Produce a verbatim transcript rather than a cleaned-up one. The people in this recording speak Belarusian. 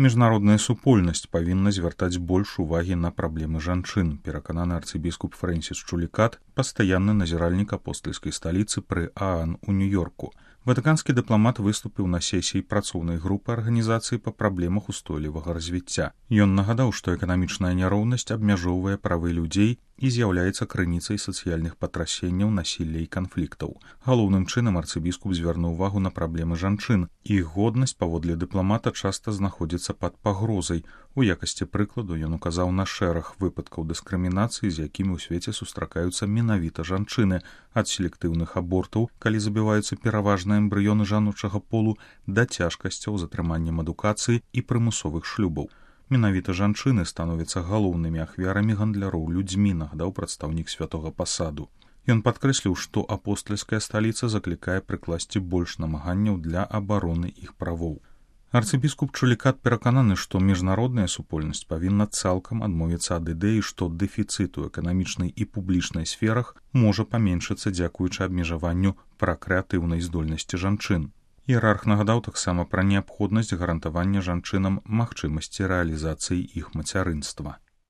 Міжнародная супольнасць павінна звяртаць больш увагі на праблемы жанчын, перакананы арцыбіскуп Фрэнсіс Чулікат, пастаянны назіральнік апостальскай сталіцы пры ААН у Нью-Йорку. Ватыканскі дыпламат выступіў на сесіі працоўнай групы арганізацыі па праблемах устойлівага развіцця. Ён нагадаў, што эканамічная няроўнасць абмяжоўвае правы людзей і з'яўляецца крыніцай сацыяльных патрасенняў, насілля і канфліктаў. Галоўным чынам арцыбіскуп звярнуў увагу на праблемы жанчын. Іх годнасць, паводле дыпламата, часта знаходзіцца пад пагрозай. У якасці прыкладу ён указаў на шэраг выпадкаў дыскрымінацыі, з якімі ў свеце сустракаюцца менавіта жанчыны, ад селектыўных абортаў, калі забіваюцца пераважна эмбрыёны жаночага полу, да цяжкасцяў з атрыманнем адукацыі і прымусовых шлюбаў. Менавіта жанчыны становяцца галоўнымі ахвярамі гандляроў людзьмі, нагадаў прадстаўнік святога пасаду. Ён падкрэсліў, што апостальская сталіца заклікае прыкласці больш намаганняў для абароны іх правоў. Арцыбіскуп Чулікат перакананы, што міжнародная супольнасць павінна цалкам адмовіцца ад ідэі, што дэфіцыт у эканамічнай і публічнай сферах можа паменшыцца дзякуючы абмежаванню пракрэатыўнай здольнасці жанчын. Іерарх нагадаў таксама пра неабходнасць гарантавання жанчынам магчымасці рэалізацыі іх мацярынства.